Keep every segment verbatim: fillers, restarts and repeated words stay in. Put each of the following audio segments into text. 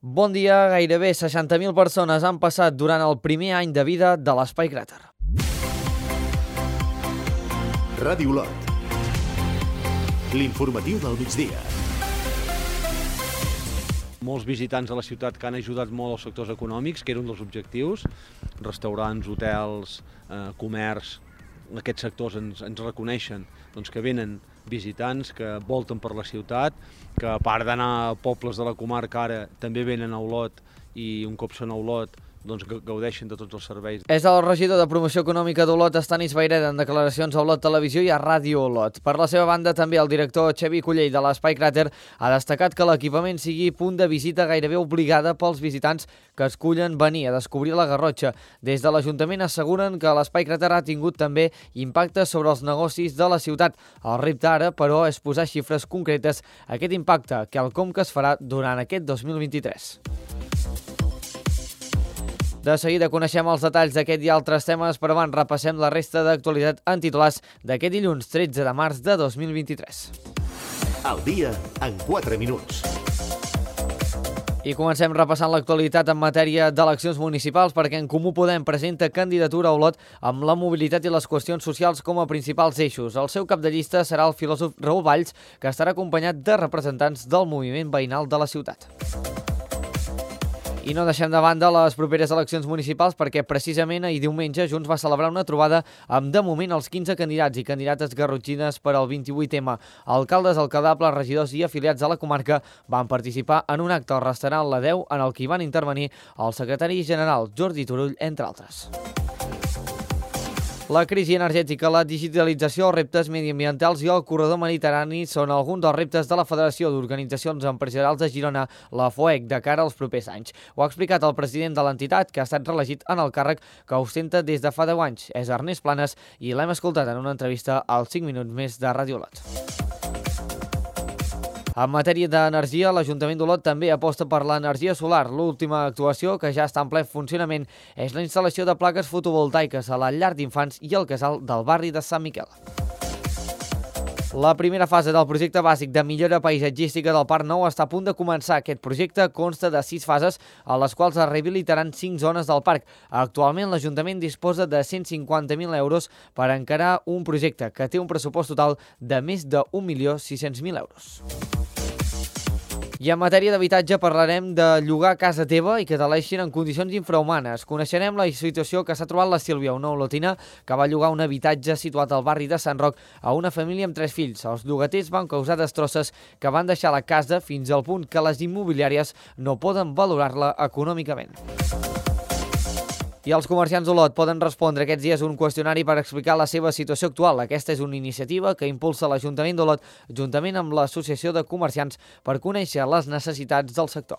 Bon dia, gairebé seixanta mil persones han passat durant el primer any de vida de l'Espai Cràter. Ràdio Olot. L'informatiu del migdia. Molts visitants a la ciutat que han ajudat molt als sectors econòmics, que era un dels objectius, restaurants, hotels, eh, comerç, aquests sectors ens, ens reconeixen doncs, que venen visitants, que volten per la ciutat, que a part d'anar a pobles de la comarca ara també venen a Olot i un cop són a Olot doncs gaudeixen de tots els serveis. És el regidor de Promoció Econòmica d'Olot, Estanis Vayreda, en declaracions a Olot Televisió i a Ràdio Olot. Per la seva banda, també el director Xavi Cullell de l'Espai Cràter ha destacat que l'equipament sigui punt de visita gairebé obligada pels visitants que escullen venir a descobrir la Garrotxa. Des de l'Ajuntament asseguren que l'Espai Cràter ha tingut també impacte sobre els negocis de la ciutat. El repte ara, però, és posar xifres concretes a aquest impacte, quelcom que es farà durant aquest dos mil vint-i-tres. De seguida coneixem els detalls d'aquest i altres temes, però abans repassem la resta d'actualitat en titulars d'aquest dilluns tretze de març de dos mil vint-i-tres. El dia en quatre minuts. I comencem repassant l'actualitat en matèria d'eleccions municipals perquè En Comú Podem presenta candidatura a Olot amb la mobilitat i les qüestions socials com a principals eixos. El seu cap de llista serà el filòsof Raül Valls, que estarà acompanyat de representants del moviment veïnal de la ciutat. I no deixem de banda les properes eleccions municipals perquè precisament ahir diumenge Junts va celebrar una trobada amb de moment els quinze candidats i candidates garrotxines per al vint-i-vuit ema. Alcaldes, alcaldables, regidors i afiliats de la comarca van participar en un acte al restaurant La Deu en el que hi van intervenir el secretari general Jordi Turull, entre altres. La crisi energètica, la digitalització, els reptes mediambientals i el corredor mediterrani són alguns dels reptes de la Federació d'Organitzacions Empresarials de Girona, la FOEG, de cara als propers anys. Ho ha explicat el president de l'entitat, que ha estat reelegit en el càrrec que ostenta des de fa deu anys. És Ernest Planes i l'hem escoltat en una entrevista als cinc minuts més de Ràdio Olot. En matèria d'energia, l'Ajuntament d'Olot també aposta per l'energia solar. L'última actuació, que ja està en ple funcionament, és la instal·lació de plaques fotovoltaiques a la llar d'infants i al casal del barri de Sant Miquel. La primera fase del projecte bàsic de millora paisatgística del Parc Nou està a punt de començar. Aquest projecte consta de sis fases, a les quals es rehabilitaran cinc zones del parc. Actualment, l'Ajuntament disposa de cent cinquanta mil euros per encarar un projecte que té un pressupost total de més de un milió sis-cents mil euros. I en matèria d'habitatge parlarem de llogar casa teva i que te l'eixin en condicions infrahumanes. Coneixerem la situació que s'ha trobat la Sílvia, una olotina que va llogar un habitatge situat al barri de Sant Roc a una família amb tres fills. Els llogaters van causar destrosses que van deixar la casa fins al punt que les immobiliàries no poden valorar-la econòmicament. I els comerciants d'Olot poden respondre aquests dies un qüestionari per explicar la seva situació actual. Aquesta és una iniciativa que impulsa l'Ajuntament d'Olot juntament amb l'Associació de Comerciants per conèixer les necessitats del sector.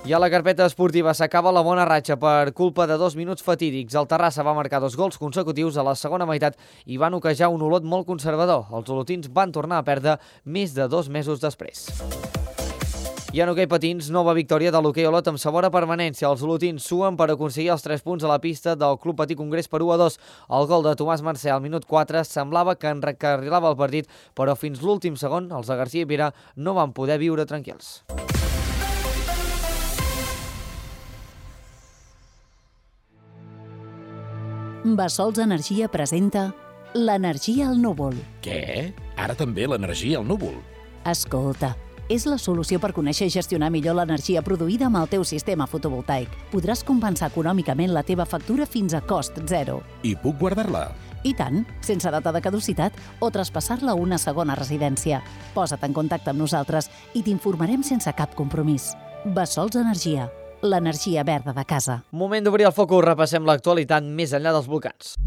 I a la carpeta esportiva s'acaba la bona ratxa per culpa de dos minuts fatídics. El Terrassa va marcar dos gols consecutius a la segona meitat i van oquejar un Olot molt conservador. Els olotins van tornar a perdre més de dos mesos després. I en hoquei patins, nova victòria de l'hoquei Olot amb sabor a permanència. Els olotins suen per aconseguir els tres punts a la pista del Club Patí Congrés per u a dos. El gol de Tomàs Mercè al minut quatre semblava que encarrilava el partit, però fins l'últim segon els de García i Pere no van poder viure tranquils. Bassols Energia presenta l'energia al núvol. Què? Ara també l'energia al núvol? Escolta, és la solució per conèixer i gestionar millor l'energia produïda amb el teu sistema fotovoltaic. Podràs compensar econòmicament la teva factura fins a cost zero. I puc guardar-la? I tant, sense data de caducitat o traspassar-la a una segona residència. Posa't en contacte amb nosaltres i t'informarem sense cap compromís. Bassols Energia, l'energia verda de casa. Moment d'obrir el focus, repassem l'actualitat més enllà dels volcans.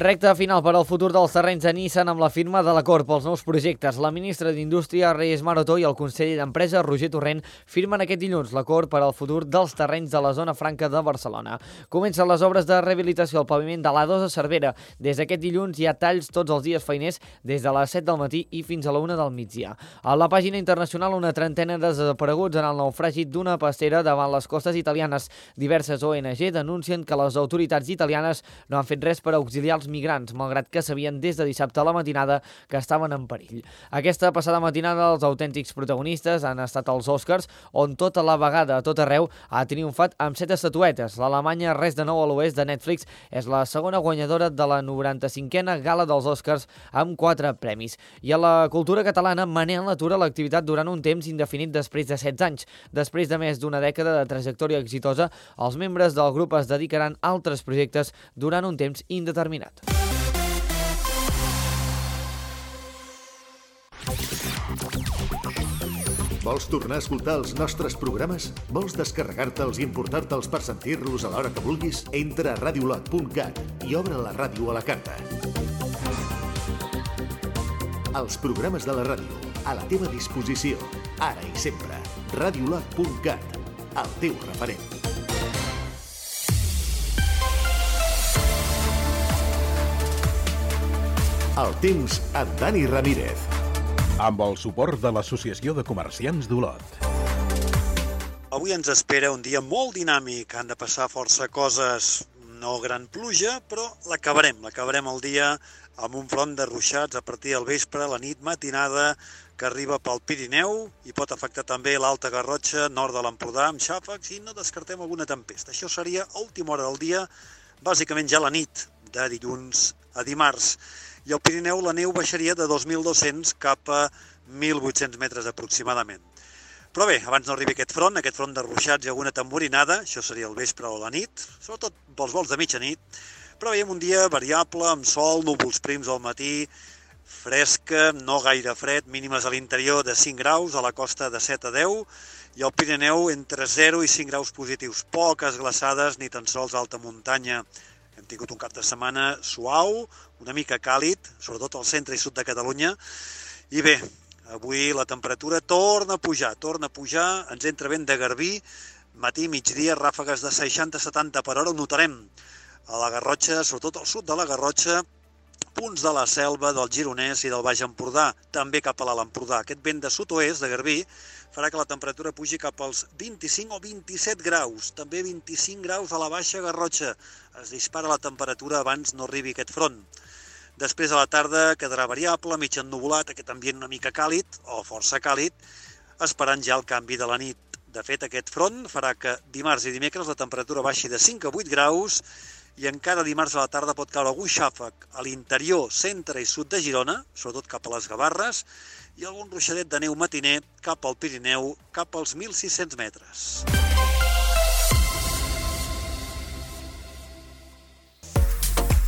Recte final per al futur dels terrenys de Nissan amb la firma de l'acord pels nous projectes. La ministra d'Indústria, Reyes Maroto, i el conseller d'Empresa, Roger Torrent, firmen aquest dilluns l'acord per al futur dels terrenys de la zona franca de Barcelona. Comencen les obres de rehabilitació al paviment de l'A dos a Cervera. Des d'aquest dilluns hi ha talls tots els dies feiners des de les set del matí i fins a la una del migdia. A la pàgina internacional, una trentena de desapareguts en el naufragi d'una pastera davant les costes italianes. Diverses O N G denuncien que les autoritats italianes no han fet res per auxiliar els migrants, malgrat que sabien des de dissabte a la matinada que estaven en perill. Aquesta passada matinada els autèntics protagonistes han estat els Oscars, on tota la vegada a tot arreu ha triomfat amb set estatuetes. L'Alemanya Res de nou a l'oest de Netflix és la segona guanyadora de la noranta-cinquena gala dels Oscars amb quatre premis. I a la cultura catalana, Manel atura l'activitat durant un temps indefinit després de setze anys. Després de més d'una dècada de trajectòria exitosa, els membres del grup es dedicaran a altres projectes durant un temps indeterminat. Vols tornar a escoltar els nostres programes? Vols descarregar-te'ls i importar-te'ls per sentir-los a l'hora que vulguis? Entra a radiolot punt cat i obre la ràdio a la carta. Els programes de la ràdio, a la teva disposició, ara i sempre. radiolot punt cat, el teu referent. El temps amb Dani Ramírez. Amb el suport de l'Associació de Comerciants d'Olot. Avui ens espera un dia molt dinàmic. Han de passar força coses, no gran pluja, però l'acabarem. L'acabarem el dia amb un front de ruixats a partir del vespre, la nit matinada, que arriba pel Pirineu i pot afectar també l'Alta Garrotxa, nord de l'Empordà, amb xàfecs, i no descartem alguna tempesta. Això seria a última hora del dia, bàsicament ja la nit, de dilluns a dimarts. I al Pirineu la neu baixaria de dos mil dos-cents cap a mil vuit-cents metres aproximadament. Però bé, abans no arribi aquest front, aquest front de ruixats i alguna tamborinada, això seria el vespre o la nit, sobretot pels vols de mitjanit, però veiem un dia variable, amb sol, núvols prims al matí, fresca, no gaire fred, mínimes a l'interior de cinc graus, a la costa de set a deu, i al Pirineu entre zero i cinc graus positius, poques glaçades ni tan sols alta muntanya. Hem tingut un cap de setmana suau, una mica càlid, sobretot al centre i sud de Catalunya. I bé, avui la temperatura torna a pujar, torna a pujar, ens entra vent de garbí, matí, migdia, ràfegues de seixanta a setanta per hora, ho notarem a la Garrotxa, sobretot al sud de la Garrotxa, punts de la Selva, del Gironès i del Baix Empordà, també cap a l'Alt Empordà. Aquest vent de sud-oest, de garbí, farà que la temperatura pugi cap als vint-i-cinc o vint-i-set graus, també vint-i-cinc graus a la Baixa Garrotxa. Es dispara la temperatura abans no arribi aquest front. Després a la tarda quedarà variable, mig ennuvolat, aquest ambient una mica càlid, o força càlid, esperant ja el canvi de la nit. De fet, aquest front farà que dimarts i dimecres la temperatura baixi de cinc a vuit graus i encara dimarts a la tarda pot caure algun xàfec a l'interior, centre i sud de Girona, sobretot cap a les Gavarres, i algun ruixadet de neu matiner cap al Pirineu, cap als mil sis-cents metres.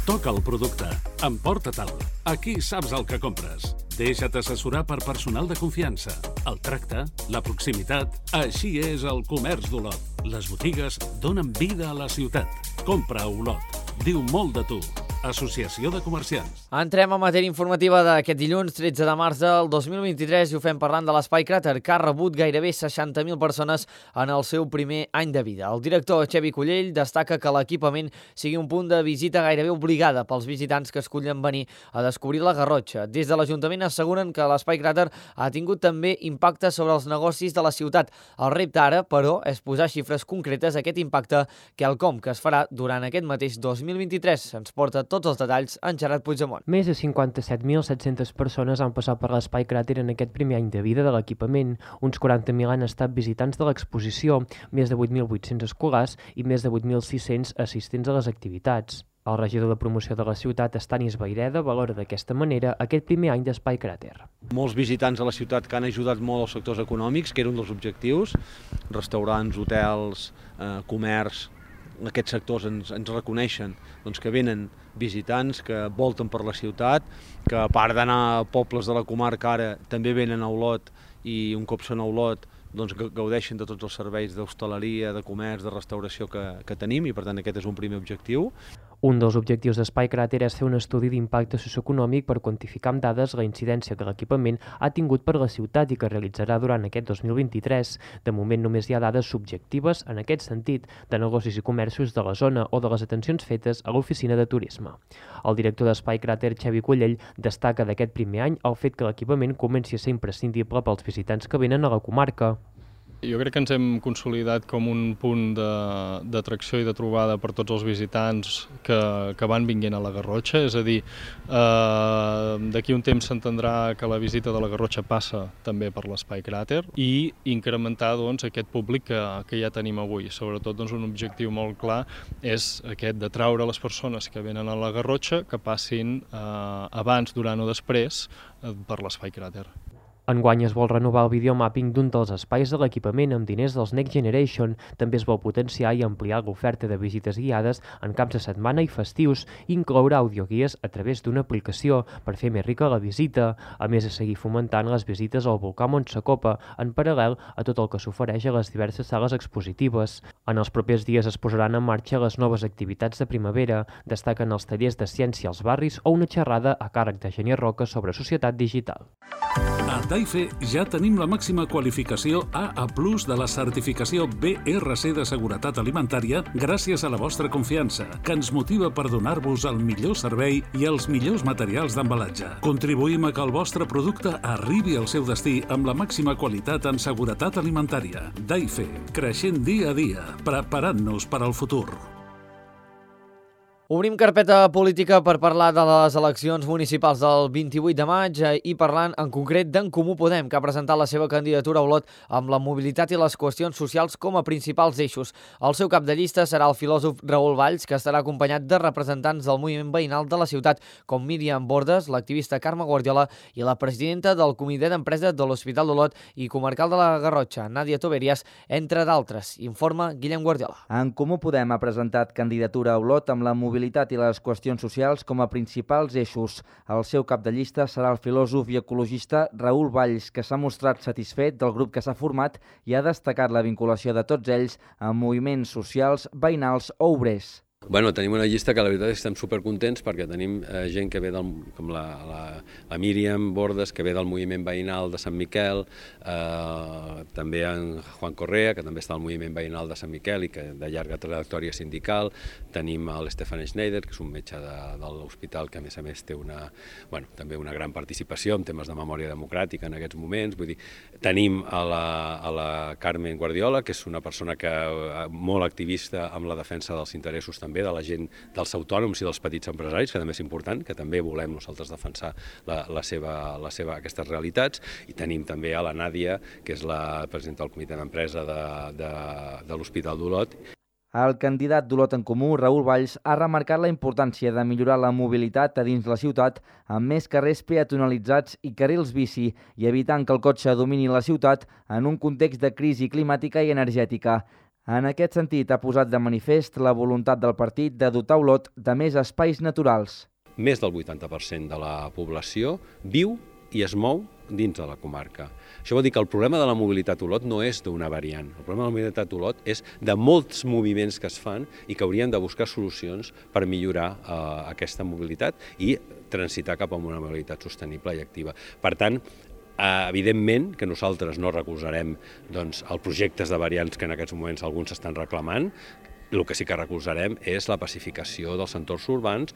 Toca el producte, emporta-te'l. Aquí saps el que compres. Deixa't assessorar per personal de confiança. El tracte, la proximitat, així és el comerç d'Olot. Les botigues donen vida a la ciutat. Compra a Olot. Diu molt de tu. Associació de Comerciants. Entrem a matèria informativa d'aquest dilluns, tretze de març del dos mil vint-i-tres, i ho fem parlant de l'Espai Cràter, que ha rebut gairebé seixanta mil persones en el seu primer any de vida. El director Xevi Cullell destaca que l'equipament sigui un punt de visita gairebé obligada pels visitants que escullen venir a descobrir la Garrotxa. Des de l'Ajuntament asseguren que l'Espai Cràter ha tingut també impacte sobre els negocis de la ciutat. El repte ara, però, és posar xifres concretes a aquest impacte, quelcom que es farà durant aquest mateix dos mil vint-i-tres. Ens porta tots els detalls en Gerard Puigdemont. Més de cinquanta-set mil set-centes persones han passat per l'Espai Cràter en aquest primer any de vida de l'equipament. Uns quaranta mil han estat visitants de l'exposició, més de vuit mil vuit-cents escolars i més de vuit mil sis-cents assistents a les activitats. El regidor de promoció de la ciutat, Estanis Vaireda, valora d'aquesta manera aquest primer any d'Espai Cràter. Molts visitants a la ciutat que han ajudat molt als sectors econòmics, que era un dels objectius, restaurants, hotels, eh, comerç, aquests sectors ens, ens reconeixen doncs, que venen visitants, que volten per la ciutat, que a part d'anar a pobles de la comarca ara també venen a Olot i un cop són a Olot doncs, gaudeixen de tots els serveis d'hostaleria, de comerç, de restauració que, que tenim i per tant aquest és un primer objectiu. Un dels objectius d'Espai Cràter és fer un estudi d'impacte socioeconòmic per quantificar amb dades la incidència que l'equipament ha tingut per la ciutat i que realitzarà durant aquest dos mil vint-i-tres. De moment només hi ha dades subjectives en aquest sentit de negocis i comerços de la zona o de les atencions fetes a l'oficina de turisme. El director d'Espai Cràter, Xavi Collell, destaca d'aquest primer any el fet que l'equipament comenci a ser imprescindible pels visitants que venen a la comarca. Jo crec que ens hem consolidat com un punt d'atracció i de trobada per tots els visitants que, que van vinguent a la Garrotxa, és a dir, eh, d'aquí un temps s'entendrà que la visita de la Garrotxa passa també per l'Espai Cràter i incrementar doncs, aquest públic que, que ja tenim avui. Sobretot doncs, un objectiu molt clar és aquest d'atraure les persones que venen a la Garrotxa que passin eh, abans, durant o després eh, per l'Espai Cràter. Enguany es vol renovar el videomapping d'un dels espais de l'equipament amb diners dels Next Generation. També es vol potenciar i ampliar l'oferta de visites guiades en caps de setmana i festius i incloure audioguies a través d'una aplicació per fer més rica la visita, a més de seguir fomentant les visites al volcà Montsacopa en paral·lel a tot el que s'ofereix a les diverses sales expositives. En els propers dies es posaran en marxa les noves activitats de primavera, destaquen els tallers de ciència als barris o una xerrada a càrrec de Genier Roca sobre societat digital. A Daife ja tenim la màxima qualificació A A plus de la certificació B R C de seguretat alimentària gràcies a la vostra confiança, que ens motiva per donar-vos el millor servei i els millors materials d'embalatge. Contribuïm a que el vostre producte arribi al seu destí amb la màxima qualitat en seguretat alimentària. Daife, creixent dia a dia, preparant-nos per al futur. Obrim carpeta política per parlar de les eleccions municipals del vint-i-vuit de maig i parlant en concret d'en Comú Podem, que ha presentat la seva candidatura a Olot amb la mobilitat i les qüestions socials com a principals eixos. El seu cap de llista serà el filòsof Raül Valls, que estarà acompanyat de representants del moviment veïnal de la ciutat, com Míriam Bordes, l'activista Carme Guardiola i la presidenta del Comitè d'Empresa de l'Hospital d'Olot i comarcal de la Garrotxa, Nàdia Toberias, entre d'altres. Informa Guillem Guardiola. En Comú Podem ha presentat candidatura a Olot amb la mobilitat mobilitat i les qüestions socials com a principals eixos. El seu cap de llista serà el filòsof i ecologista Raül Valls, que s'ha mostrat satisfet del grup que s'ha format i ha destacat la vinculació de tots ells amb moviments socials, veïnals o obrers. Bueno, tenim una llista que la veritat és que estem supercontents perquè tenim eh, gent que ve del, com la, la, la Míriam Bordes, que ve del moviment veïnal de Sant Miquel, eh, també en Juan Correa, que també està al moviment veïnal de Sant Miquel i que de llarga trajectòria sindical, tenim l'Stefan Schneider, que és un metge de, de l'hospital que a més a més té una, bueno, també una gran participació en temes de memòria democràtica en aquests moments, vull dir, tenim a la, a la Carmen Guardiola, que és una persona que, molt activista amb la defensa dels interessos també de la gent, dels autònoms i dels petits empresaris, que també és important, que també volem nosaltres defensar la, la seva, la seva, aquestes realitats, i tenim també a la Nàdia, que és la presidenta del Comitè d'Empresa de, de, de l'Hospital d'Olot. El candidat d'Olot en Comú, Raül Valls, ha remarcat la importància de millorar la mobilitat a dins la ciutat amb més carrers peatonalitzats i carrils bici i evitant que el cotxe domini la ciutat en un context de crisi climàtica i energètica. En aquest sentit, ha posat de manifest la voluntat del partit de dotar Olot de més espais naturals. Més del vuitanta per cent de la població viu i es mou dins de la comarca. Això vol dir que el problema de la mobilitat a Olot no és d'una variant. El problema de la mobilitat a Olot és de molts moviments que es fan i que haurien de buscar solucions per millorar eh, aquesta mobilitat i transitar cap a una mobilitat sostenible i activa. Per tant, Uh, evidentment que nosaltres no recolzarem doncs, els projectes de variants que en aquests moments alguns estan reclamant. El que sí que recolzarem és la pacificació dels entorns urbans.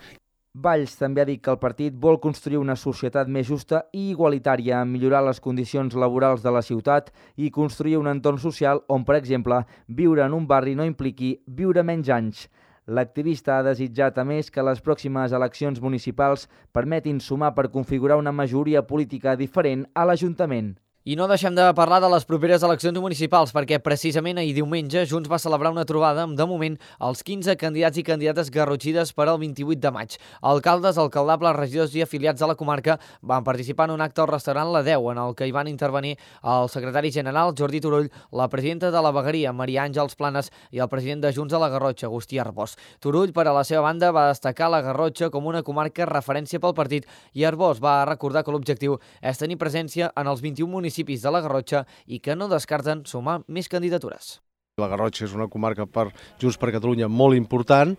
Valls també ha dit que el partit vol construir una societat més justa i igualitària, millorar les condicions laborals de la ciutat i construir un entorn social on, per exemple, viure en un barri no impliqui viure menys anys. L'activista ha desitjat, a més, que les pròximes eleccions municipals permetin sumar per configurar una majoria política diferent a l'Ajuntament. I no deixem de parlar de les properes eleccions municipals, perquè precisament ahir diumenge Junts va celebrar una trobada amb, de moment, els quinze candidats i candidates garrotxides per al vint-i-vuit de maig. Alcaldes, alcaldables, regidors i afiliats de la comarca van participar en un acte al restaurant La deu, en el que hi van intervenir el secretari general Jordi Turull, la presidenta de la Vegueria, Maria Àngels Planes, i el president de Junts a la Garrotxa, Agustí Arbós. Turull, per a la seva banda, va destacar la Garrotxa com una comarca referència pel partit i Arbós va recordar que l'objectiu és tenir presència en els vint-i-un municipis de la Garrotxa i que no descarten sumar més candidatures. La Garrotxa és una comarca per Junts per Catalunya molt important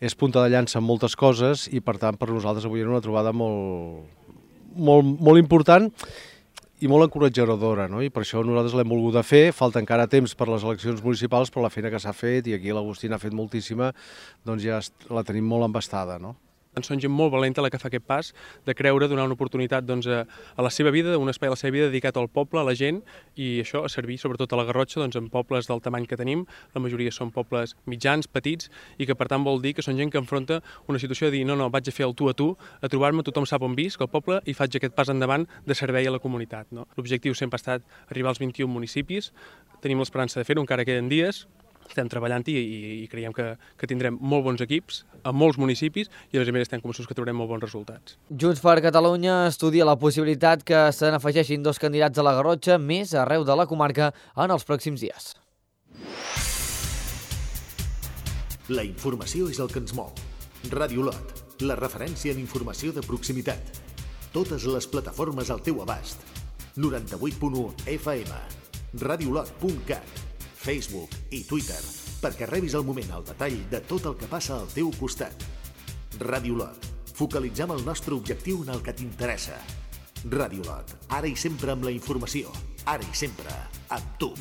és punta de llança en moltes coses i, per tant, per nosaltres avui era una trobada molt, molt, molt important i molt encoratjadora, no? I per això nosaltres l'hem volgut fer. Falta encara temps per les eleccions municipals, però la feina que s'ha fet, i aquí l'Agustí n'ha fet moltíssima, doncs ja la tenim molt embastada, no? Són gent molt valenta la que fa aquest pas de creure, donar una oportunitat doncs, a, a la seva vida, un espai a la seva vida dedicat al poble, a la gent, i això a servir sobretot a la Garrotxa doncs, en pobles del tamany que tenim. La majoria són pobles mitjans, petits, i que per tant vol dir que són gent que enfronta una situació de dir no, no, vaig a fer el tu a tu, a trobar-me, tothom sap on visc, al poble, i faig aquest pas endavant de servei a la comunitat. No? L'objectiu sempre ha estat arribar als vint-i-un municipis, tenim l'esperança de fer-ho, encara queden dies, estem treballant-hi i, i creiem que, que tindrem molt bons equips a molts municipis i a més a més estem convençuts que trobarem molt bons resultats. Junts per Catalunya estudia la possibilitat que se n'afegeixin dos candidats a la Garrotxa més arreu de la comarca en els pròxims dies. La informació és el que ens mou. Ràdio Lot, la referència en informació de proximitat. Totes les plataformes al teu abast. noranta-vuit punt u F M, radiolot punt cat, Facebook i Twitter, perquè rebis al moment el detall de tot el que passa al teu costat. Ràdio Lot, focalitzem el nostre objectiu en el que t'interessa. Ràdio Lot, ara i sempre amb la informació, ara i sempre amb tu.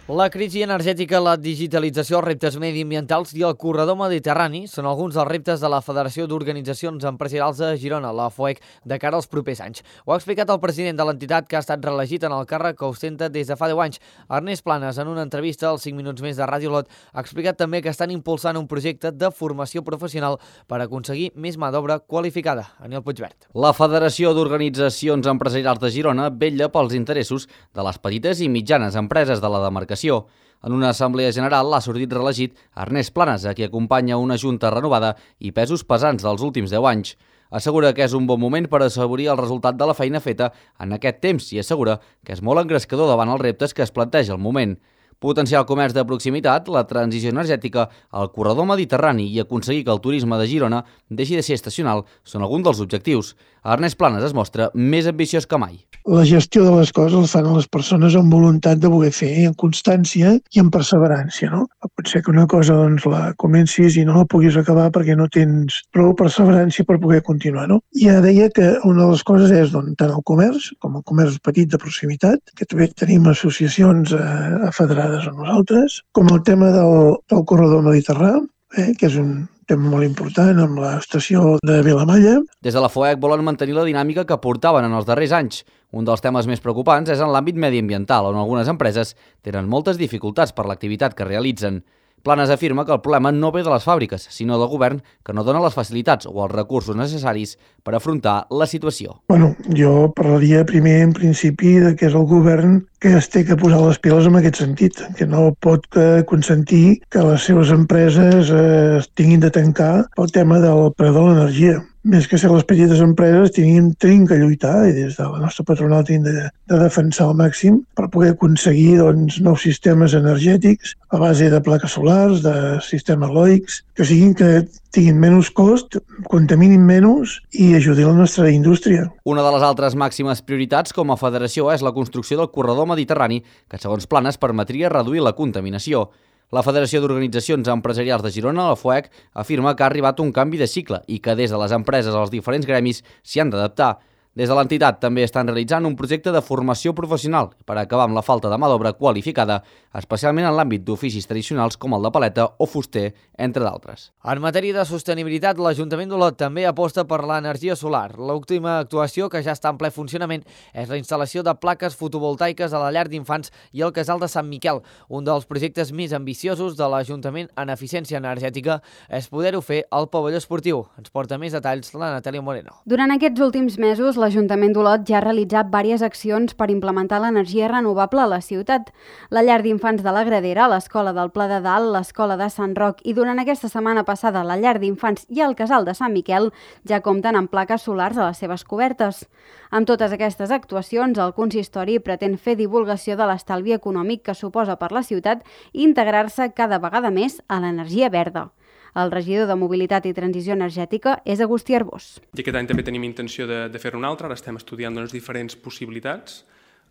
La crisi energètica, la digitalització, els reptes mediambientals i el corredor mediterrani són alguns dels reptes de la Federació d'Organitzacions Empresarials de Girona, la F O E C, de cara als propers anys. Ho ha explicat el president de l'entitat, que ha estat reelegit en el càrrec que ostenta des de fa deu anys. Ernest Planes, en una entrevista als cinc minuts més de Ràdio Lot, ha explicat també que estan impulsant un projecte de formació professional per aconseguir més mà d'obra qualificada. Aniol Puigvert. La Federació d'Organitzacions Empresarials de Girona vetlla pels interessos de les petites i mitjanes empreses de la demarcació. En una assemblea general l'ha sortit reelegit Ernest Planes, a qui acompanya una junta renovada i pesos pesants dels últims deu anys. Assegura que és un bon moment per assaborir el resultat de la feina feta en aquest temps i assegura que és molt engrescador davant els reptes que es planteja al moment. Potenciar el comerç de proximitat, la transició energètica, el corredor mediterrani i aconseguir que el turisme de Girona deixi de ser estacional són alguns dels objectius. Ernest Planes es mostra més ambiciós que mai. La gestió de les coses la fan les persones amb voluntat de voler fer, amb constància i amb perseverància. No? Pot ser que una cosa doncs, la comencis i no la puguis acabar perquè no tens prou perseverància per poder continuar. No? I ja deia que una de les coses és doncs, tant el comerç com el comerç petit de proximitat, que també tenim associacions eh, federades amb nosaltres, com el tema del, del corredor mediterrani, eh, que és un tema molt important amb l'estació de Vilamalla. Des de la F O E C volen mantenir la dinàmica que portaven en els darrers anys. Un dels temes més preocupants és en l'àmbit mediambiental, on algunes empreses tenen moltes dificultats per l'activitat que realitzen. Planes afirma que el problema no ve de les fàbriques, sinó del govern, que no dona les facilitats o els recursos necessaris per afrontar la situació. Bueno, jo parlaria primer en principi de que és el govern que es té que posar les piles en aquest sentit, que no pot consentir que les seves empreses eh, tinguin de tancar pel tema del preu de l'energia. Més que ser les petites empreses, tenim, tenim que lluitar i des de la nostra patronal tenim de, de defensar al màxim per poder aconseguir doncs, nous sistemes energètics a base de plaques solars, de sistemes eòlics, que siguin que tinguin menys cost, contaminin menys i ajudin la nostra indústria. Una de les altres màximes prioritats com a federació és la construcció del corredor mediterrani, que segons Planes permetria reduir la contaminació. La Federació d'Organitzacions Empresarials de Girona, la F O E C, afirma que ha arribat un canvi de cicle i que des de les empreses als diferents gremis s'hi han d'adaptar. Des de l'entitat també estan realitzant un projecte de formació professional per acabar amb la falta de mà d'obra qualificada, especialment en l'àmbit d'oficis tradicionals com el de paleta o fuster, entre d'altres. En matèria de sostenibilitat, l'Ajuntament d'Olot també aposta per l'energia solar. L'última actuació, que ja està en ple funcionament, és la instal·lació de plaques fotovoltaiques a la llar d'infants i al casal de Sant Miquel. Un dels projectes més ambiciosos de l'Ajuntament en eficiència energètica és poder-ho fer al pavelló esportiu. Ens porta més detalls la Natàlia Moreno. Durant aquests últims mesos, l'Ajuntament d'Olot ja ha realitzat diverses accions per implementar l'energia renovable a la ciutat. La llar d'infants de la Gradera, l'Escola del Pla de Dalt, l'Escola de Sant Roc i durant aquesta setmana passada la llar d'infants i el casal de Sant Miquel ja compten amb plaques solars a les seves cobertes. Amb totes aquestes actuacions, el consistori pretén fer divulgació de l'estalvi econòmic que suposa per la ciutat i integrar-se cada vegada més a l'energia verda. El regidor de Mobilitat i Transició Energètica és Agustí Arbós. I aquest any també tenim intenció de, de fer-ne un altre, ara estem estudiant doncs, diferents possibilitats,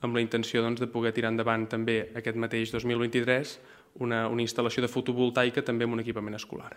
amb la intenció doncs, de poder tirar endavant també aquest mateix dos mil vint-i-tres una, una instal·lació de fotovoltaica també amb un equipament escolar.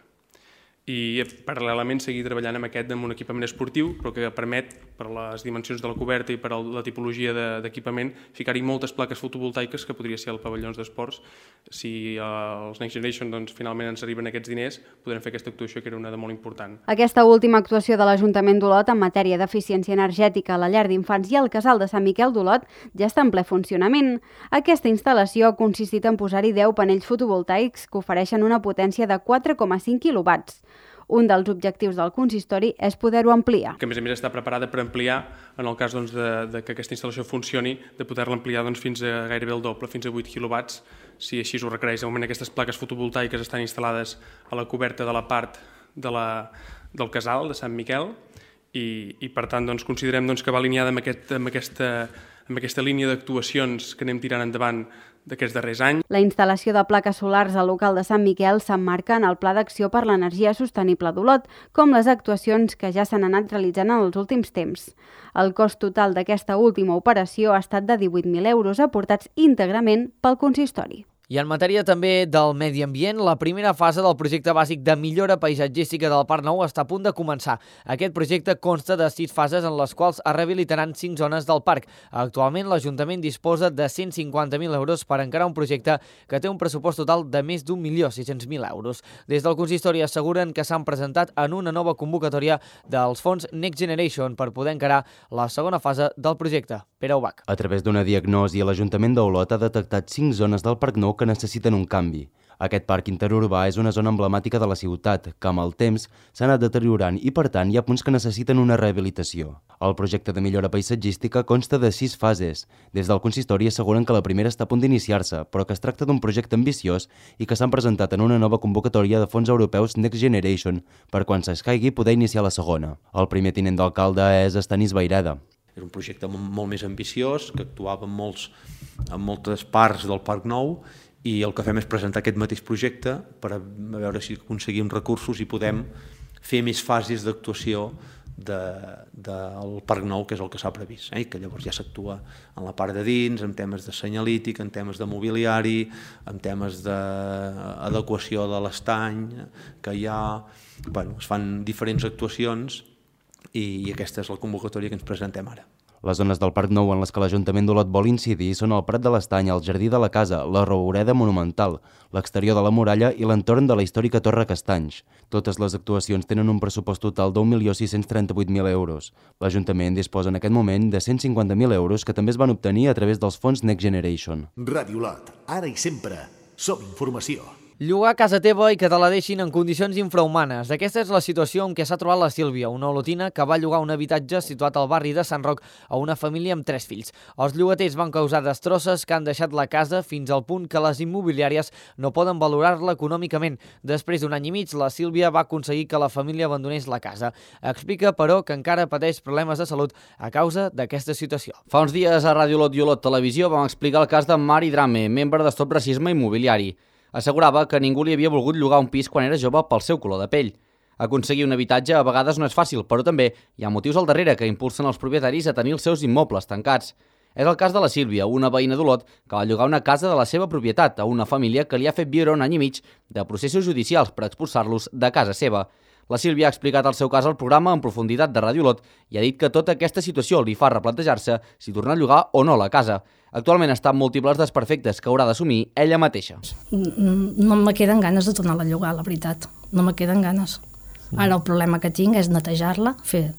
I paral·lelament seguir treballant amb aquest amb un equipament esportiu, però que permet, per les dimensions de la coberta i per la tipologia d'equipament, ficar-hi moltes plaques fotovoltaiques que podria ser als pavellons d'esports. Si els Next Generation doncs, finalment ens arriben aquests diners, podrem fer aquesta actuació que era una de molt important. Aquesta última actuació de l'Ajuntament d'Olot en matèria d'eficiència energètica a la llar d'infants i al casal de Sant Miquel d'Olot ja està en ple funcionament. Aquesta instal·lació ha consistit en posar-hi deu panells fotovoltaics que ofereixen una potència de quatre coma cinc quilowatts. Un dels objectius del consistori és poder-ho ampliar. Que a més a més està preparada per ampliar, en el cas doncs, de, de que aquesta instal·lació funcioni, de poder-la ampliar doncs, fins a gairebé el doble, fins a vuit quilowatts, si així ho requereix. De moment aquestes plaques fotovoltaiques estan instal·lades a la coberta de la part de la, del casal de Sant Miquel i, i per tant doncs, considerem doncs, que va alineada amb, aquest, amb, aquesta, amb aquesta línia d'actuacions que anem tirant endavant d'aquests darrers anys. La instal·lació de plaques solars al local de Sant Miquel s'emmarca en el Pla d'Acció per l'Energia Sostenible d'Olot, com les actuacions que ja s'han anat realitzant en els últims temps. El cost total d'aquesta última operació ha estat de divuit mil euros, aportats íntegrament pel consistori. I en matèria també del medi ambient, la primera fase del projecte bàsic de millora paisatgística del Parc Nou està a punt de començar. Aquest projecte consta de sis fases en les quals es rehabilitaran cinc zones del parc. Actualment l'Ajuntament disposa de cent cinquanta mil euros per encarar un projecte que té un pressupost total de més d'un milió sis-cents mil euros. Des del consistori asseguren que s'han presentat en una nova convocatòria dels fons Next Generation per poder encarar la segona fase del projecte. Pere Ubach. A través d'una diagnosi, l'Ajuntament d'Olot ha detectat cinc zones del Parc Nou que necessiten un canvi. Aquest parc interurbà és una zona emblemàtica de la ciutat, que amb el temps s'ha anat deteriorant i, per tant, hi ha punts que necessiten una rehabilitació. El projecte de millora paisatgística consta de sis fases. Des del consistori asseguren que la primera està a punt d'iniciar-se, però que es tracta d'un projecte ambiciós i que s'han presentat en una nova convocatòria de fons europeus Next Generation per quan s'escaigui poder iniciar la segona. El primer tinent d'alcalde és Estanis Vairada. Era un projecte molt més ambiciós, que actuava en, molts, en moltes parts del Parc Nou, i el que fem és presentar aquest mateix projecte per a veure si aconseguim recursos i podem fer més fases d'actuació del de, de Parc Nou, que és el que s'ha previst, eh? Que llavors ja s'actua en la part de dins, en temes de senyalític, en temes de mobiliari, en temes d'adequació de l'estany que hi ha. Bueno, es fan diferents actuacions i aquesta és la convocatòria que ens presentem ara. Les zones del Parc Nou en les que l'Ajuntament d'Olot vol incidir són el Prat de l'Estany, el Jardí de la Casa, la Roureda Monumental, l'exterior de la muralla i l'entorn de la històrica Torre Castanys. Totes les actuacions tenen un pressupost total d'un milió sis-cents trenta-vuit mil euros. L'Ajuntament disposa en aquest moment de cent cinquanta mil euros que també es van obtenir a través dels fons Next Generation. Ràdio Olot, ara i sempre, som informació. Llogar casa teva i que te la deixin en condicions infrahumanes. Aquesta és la situació en què s'ha trobat la Sílvia, una olotina que va llogar un habitatge situat al barri de Sant Roc a una família amb tres fills. Els llogaters van causar destrosses que han deixat la casa fins al punt que les immobiliàries no poden valorar-la econòmicament. Després d'un any i mig, la Sílvia va aconseguir que la família abandonés la casa. Explica, però, que encara pateix problemes de salut a causa d'aquesta situació. Fa uns dies a Ràdio Olot i Olot Televisió vam explicar el cas de Mari Drame, membre de Stop Racisme Immobiliari. Assegurava que ningú li havia volgut llogar un pis quan era jove pel seu color de pell. Aconseguir un habitatge a vegades no és fàcil, però també hi ha motius al darrere que impulsen els propietaris a tenir els seus immobles tancats. És el cas de la Sílvia, una veïna d'Olot que va llogar una casa de la seva propietat a una família que li ha fet viure un any i mig de processos judicials per expulsar-los de casa seva. La Sílvia ha explicat el seu cas al programa en profunditat de Ràdio Olot i ha dit que tota aquesta situació li fa replantejar-se si tornar a llogar o no la casa. Actualment està amb múltiples desperfectes que haurà d'assumir ella mateixa. No me queden ganes de tornar a llogar, la veritat. No me queden ganes. Ara el problema que tinc és netejar-la, fer,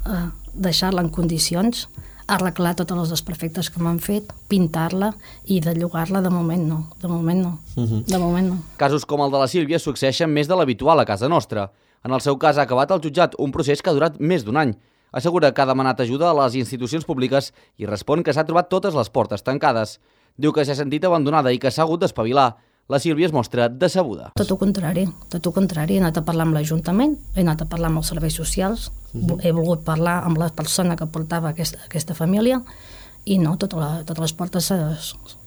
eh, deixar-la en condicions, arreglar tots els desperfectes que m'han fet, pintar-la i de llogar-la de moment no. De moment no. Uh-huh. De moment no. Casos com el de la Sílvia succeeixen més de l'habitual a casa nostra. En el seu cas ha acabat al jutjat un procés que ha durat més d'un any. Assegura que ha demanat ajuda a les institucions públiques i respon que s'ha trobat totes les portes tancades. Diu que s'ha sentit abandonada i que s'ha hagut d'espavilar. La Sílvia es mostra decebuda. Tot el contrari, tot el contrari. He anat a parlar amb l'Ajuntament, he anat a parlar amb els serveis socials, uh-huh. He volgut parlar amb la persona que portava aquesta, aquesta família i no, tota la, totes les portes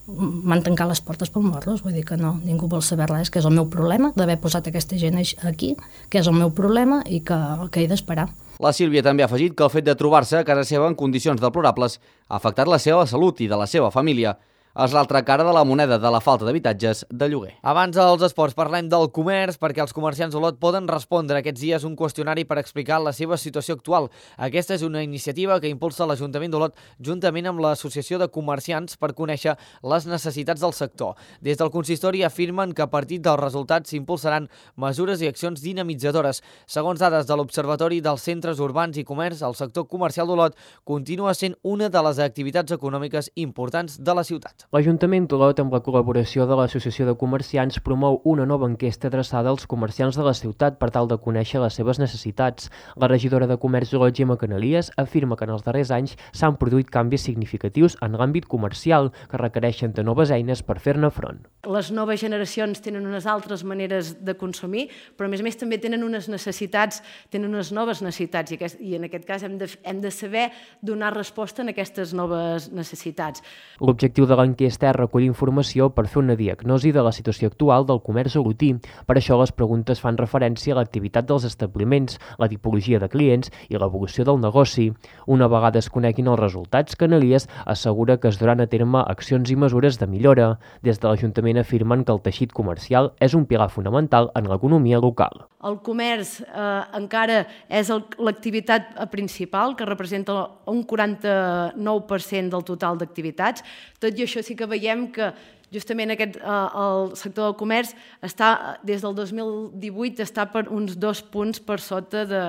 m'han tancat les portes per morros, vull dir que no, ningú vol saber res, que és el meu problema d'haver posat aquesta gent aquí, que és el meu problema i que, que he d'esperar. La Sílvia també ha afegit que el fet de trobar-se a casa seva en condicions deplorables ha afectat la seva salut i de la seva família. És l'altra cara de la moneda de la falta d'habitatges de lloguer. Abans dels esports parlem del comerç, perquè els comerciants d'Olot poden respondre aquests dies un qüestionari per explicar la seva situació actual. Aquesta és una iniciativa que impulsa l'Ajuntament d'Olot juntament amb l'Associació de Comerciants per conèixer les necessitats del sector. Des del consistori afirmen que a partir dels resultats s'impulsaran mesures i accions dinamitzadores. Segons dades de l'Observatori dels Centres Urbans i Comerç, el sector comercial d'Olot continua sent una de les activitats econòmiques importants de la ciutat. L'Ajuntament d'Olot, amb la col·laboració de l'Associació de Comerciants, promou una nova enquesta adreçada als comerciants de la ciutat per tal de conèixer les seves necessitats. La regidora de Comerç d'Olot, Gemma Canalies, afirma que en els darrers anys s'han produït canvis significatius en l'àmbit comercial que requereixen de noves eines per fer-ne front. Les noves generacions tenen unes altres maneres de consumir, però a més a més també tenen unes necessitats, tenen unes noves necessitats i, aquest, i en aquest cas hem de, hem de saber donar resposta a aquestes noves necessitats. L'objectiu de l'enquesta és recollir informació per fer una diagnosi de la situació actual del comerç olotí. Per això les preguntes fan referència a l'activitat dels establiments, la tipologia de clients i l'evolució del negoci. Una vegada es coneguin els resultats, Canalies assegura que es duran a terme accions i mesures de millora. Des de l'Ajuntament afirmen que el teixit comercial és un pilar fonamental en l'economia local. El comerç eh, encara és l'activitat principal, que representa un quaranta-nou per cent del total d'activitats. Tot i això sí que veiem que justament aquest, eh, el sector del comerç està, des del dos mil divuit està per uns dos punts per sota de,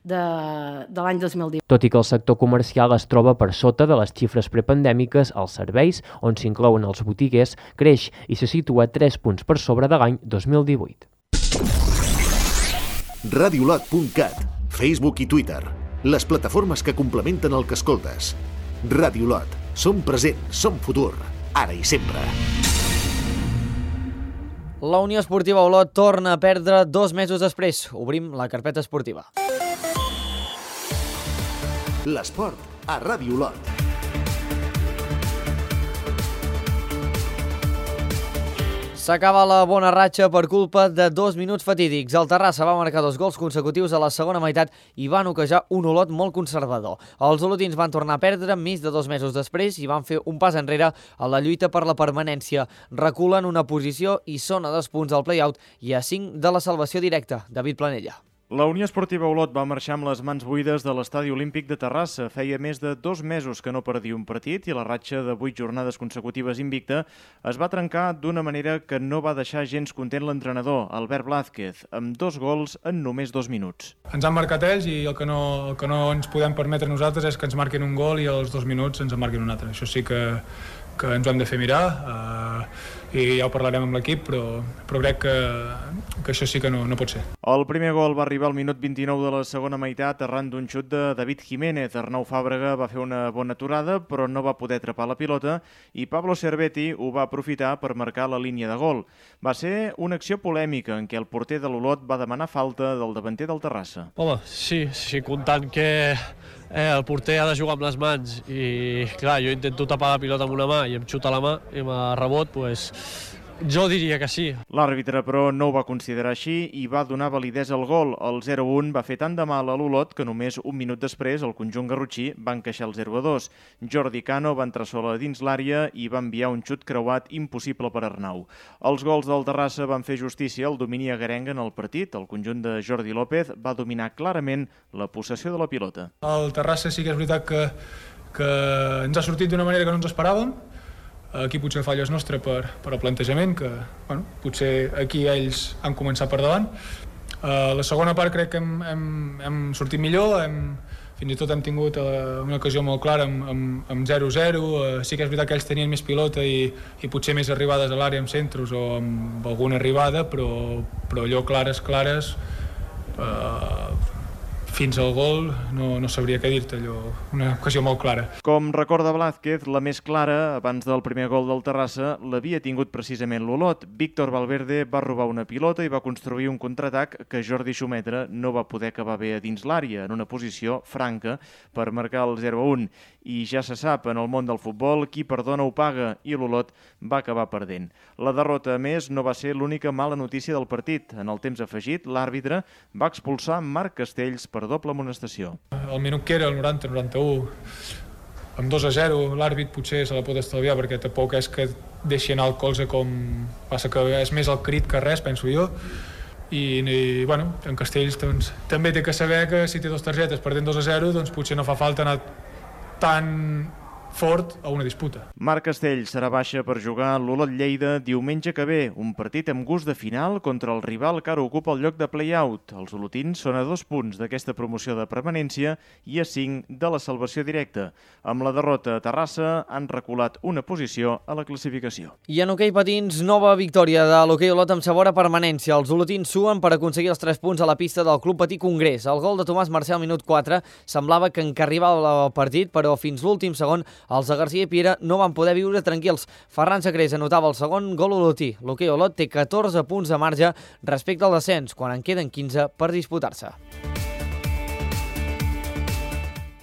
de, de l'any dos mil divuit. Tot i que el sector comercial es troba per sota de les xifres prepandèmiques, els serveis, on s'inclouen els botiguers, creix i se situa tres punts per sobre de l'any dos mil divuit. radiolot punt cat, Facebook i Twitter, les plataformes que complementen el que escoltes. Radiolot, som present, som futur, ara i sempre. La Unió Esportiva Olot torna a perdre dos mesos després. Obrim la carpeta esportiva. L'esport a Ràdio Olot. S'acaba la bona ratxa per culpa de dos minuts fatídics. El Terrassa va marcar dos gols consecutius a la segona meitat i van ocajar un Olot molt conservador. Els olotins van tornar a perdre més de dos mesos després i van fer un pas enrere a la lluita per la permanència. Reculen una posició i són a dos punts al play-out i a cinc de la salvació directa. David Planella. La Unió Esportiva Olot va marxar amb les mans buides de l'Estadi Olímpic de Terrassa. Feia més de dos mesos que no perdia un partit i la ratxa de vuit jornades consecutives invicta es va trencar d'una manera que no va deixar gens content l'entrenador, Albert Blázquez, amb dos gols en només dos minuts. Ens han marcat ells i el que no, el que no ens podem permetre nosaltres és que ens marquin un gol i als dos minuts ens en marquin un altre. Això sí que, que ens ho hem de fer mirar uh, i ja ho parlarem amb l'equip, però, però crec que, que això sí que no, no pot ser. El primer gol va arribar al minut vint-i-nou de la segona meitat arran d'un xut de David Jiménez. Arnau Fàbrega va fer una bona aturada, però no va poder atrapar la pilota i Pablo Cervetti ho va aprofitar per marcar la línia de gol. Va ser una acció polèmica en què el porter de l'Olot va demanar falta del davanter del Terrassa. Home, sí, sí, comptant que eh, el porter ha de jugar amb les mans i, clar, jo intento tapar la pilota amb una mà i em xuta la mà i amb el rebot, doncs, jo diria que sí. L'àrbitre, però, no ho va considerar així i va donar validesa al gol. El zero a un va fer tant de mal a l'Olot que només un minut després el conjunt garrotxí va encaixar el zero a dos. Jordi Cano va entrar sola dins l'àrea i va enviar un xut creuat impossible per Arnau. Els gols del Terrassa van fer justícia al domini agarenc en el partit. El conjunt de Jordi López va dominar clarament la possessió de la pilota. El Terrassa sí que és veritat que, que ens ha sortit d'una manera que no ens esperàvem. Aquí potser falla és nostre per, per el plantejament, que bueno, potser aquí ells han començat per davant. Uh, la segona part crec que hem, hem, hem sortit millor, hem, fins i tot hem tingut uh, una ocasió molt clara amb, amb, amb zero zero. Uh, sí que és veritat que ells tenien més pilota i, i potser més arribades a l'àrea amb centros o amb alguna arribada, però, però allò clares, clares, uh, fins al gol no, no sabria què dir-te, allò, una ocasió molt clara. Com recorda Blázquez, la més clara, abans del primer gol del Terrassa, l'havia tingut precisament l'Olot. Víctor Valverde va robar una pilota i va construir un contraatac que Jordi Xumetra no va poder acabar bé a dins l'àrea, en una posició franca per marcar el zero a un. I ja se sap, en el món del futbol, qui perdona ho paga, i l'Olot va acabar perdent. La derrota, a més, no va ser l'única mala notícia del partit. En el temps afegit, l'àrbitre va expulsar Marc Castells per doble amonestació. El minut que era, el noranta noranta-u, amb dos a zero l'àrbit potser se la pot estalviar perquè tampoc és que deixi anar el colze com passa, que és més el crit que res, penso jo. I, i bueno, en Castells doncs, també té que saber que si té dues targetes perdent dos a zero, doncs potser no fa falta anar tan fort a una disputa. Marc Castells serà baixa per jugar a l'Olot Lleida diumenge que ve, un partit amb gust de final contra el rival que ara ocupa el lloc de play-out. Els olotins són a dos punts d'aquesta promoció de permanència i a cinc de la salvació directa. Amb la derrota a Terrassa han reculat una posició a la classificació. I en hoquei patins, nova victòria de l'hoquei Olot amb sabor a permanència. Els olotins suen per aconseguir els tres punts a la pista del Club Patí Congrés. El gol de Tomàs Mercè al minut quatre semblava que encarrilava el partit, però fins l'últim segon els de Garcia i Piera no van poder viure tranquils. Ferran Sacrés anotava el segon gol olotí. L'hoquei Olot té catorze punts de marge respecte al descens, quan en queden quinze per disputar-se.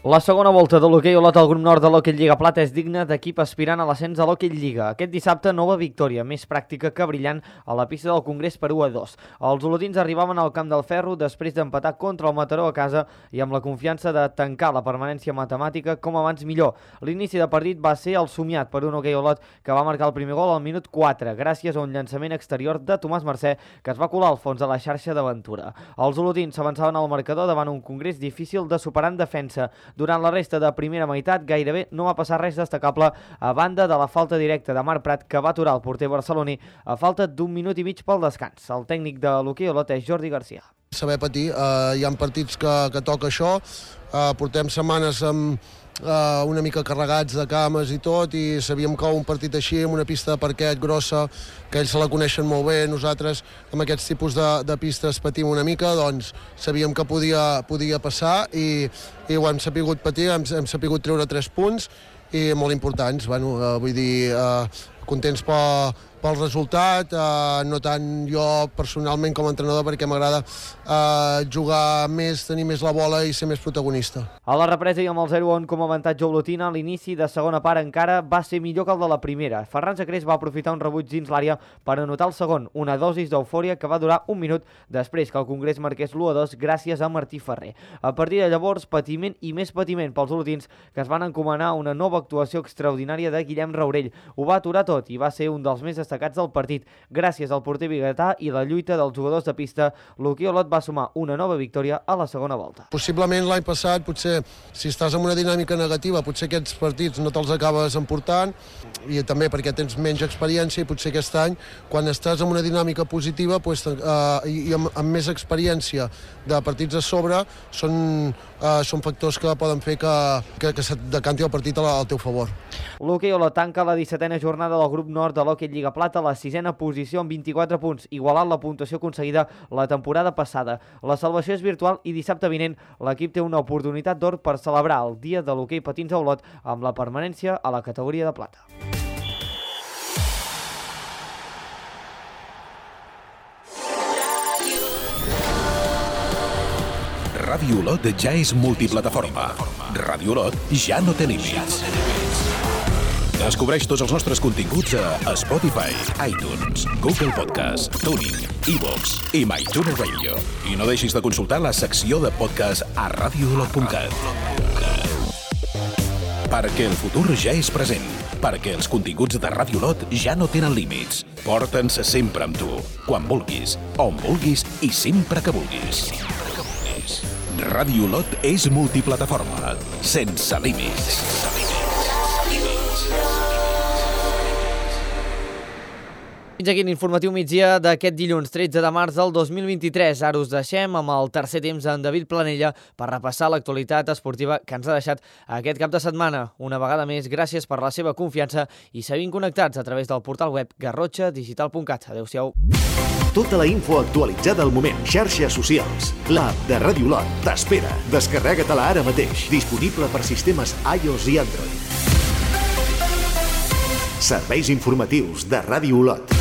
La segona volta de l'hoquei Olot al grup nord de l'Hoquei Lliga Plata és digna d'equip aspirant a l'ascens a l'Hoquei Lliga. Aquest dissabte, nova victòria, més pràctica que brillant, a la pista del Congrés per u a dos. Els olotins arribaven al Camp del Ferro després d'empatar contra el Mataró a casa i amb la confiança de tancar la permanència matemàtica com abans millor. L'inici de partit va ser el somiat per un hoquei Olot que va marcar el primer gol al minut quatre, gràcies a un llançament exterior de Tomàs Mercè que es va colar al fons de la xarxa d'aventura. Els olotins s'avançaven al marcador davant un Congrés difícil de superar en defensa. Durant la resta de primera meitat gairebé no va passar res destacable a banda de la falta directa de Marc Prat que va aturar el porter barceloní a falta d'un minut i mig pel descans. El tècnic de l'hoquei Olot és Jordi Garcia. Saber patir, eh, hi ha partits que, que toca això, eh, portem setmanes amb Uh, una mica carregats de cames i tot, i sabíem que un partit així, amb una pista de parquet grossa, que ells se la coneixen molt bé, nosaltres amb aquests tipus de, de pistes patim una mica, doncs sabíem que podia, podia passar i, i ho hem sapigut patir, hem, hem sapigut treure tres punts i molt importants, bueno, uh, vull dir, uh, contents pel, pel resultat, eh, no tant jo personalment com a entrenador perquè m'agrada eh, jugar més, tenir més la bola i ser més protagonista. A la represa i amb el zero a un com a avantatge olotina, l'inici de segona part encara va ser millor que el de la primera. Ferran Sacrés va aprofitar un rebuig dins l'àrea per anotar el segon, una dosis d'eufòria que va durar un minut després que el Congrés marqués l'u a dos gràcies a Martí Ferrer. A partir de llavors, patiment i més patiment pels olotins que es van encomanar una nova actuació extraordinària de Guillem Raurell. Ho va aturar tot i va ser un dels més destacats del partit. Gràcies al porter biguetà i la lluita dels jugadors de pista, l'hoquei Olot va sumar una nova victòria a la segona volta. Possiblement l'any passat, potser si estàs en una dinàmica negativa, potser aquests partits no te'ls acabes emportant, i també perquè tens menys experiència, i potser aquest any, quan estàs en una dinàmica positiva pues, eh, i amb, amb més experiència de partits a sobre, són, eh, són factors que poden fer que, que, que se't decanti el partit al teu favor. L'hoquei Olot tanca la dissetena jornada del grup nord de l'Hoquei Lliga Plata a la sisena posició amb vint-i-quatre punts, igualant la puntuació aconseguida la temporada passada. La salvació és virtual i dissabte vinent l'equip té una oportunitat d'or per celebrar el dia de l'hoquei patins a Olot amb la permanència a la categoria de plata. Ràdio Olot ja és multiplataforma. Ràdio Olot ja no té límits. Descobreix tots els nostres continguts a Spotify, iTunes, Google Podcast, TuneIn, iVoox i MyTuner Radio. I no deixis de consultar la secció de podcast a radio olot punt cat. Perquè el futur ja és present. Perquè els continguts de Ràdio Olot ja no tenen límits. Porta'ns sempre amb tu, quan vulguis, on vulguis i sempre que vulguis. Ràdio Olot és multiplataforma, sense límits. Fins aquí l'informatiu migdia d'aquest dilluns tretze de març del dos mil vint-i-tres. Ara us deixem amb el tercer temps d'en David Planella per repassar l'actualitat esportiva que ens ha deixat aquest cap de setmana. Una vegada més, gràcies per la seva confiança i seguim connectats a través del portal web garrotxa digital punt cat. Adéu-siau. Tota la info actualitzada al moment. Xarxes socials. L'app de Ràdio Olot t'espera. Descarrega-te-la ara mateix. Disponible per sistemes iOS i Android. Serveis informatius de Ràdio Olot.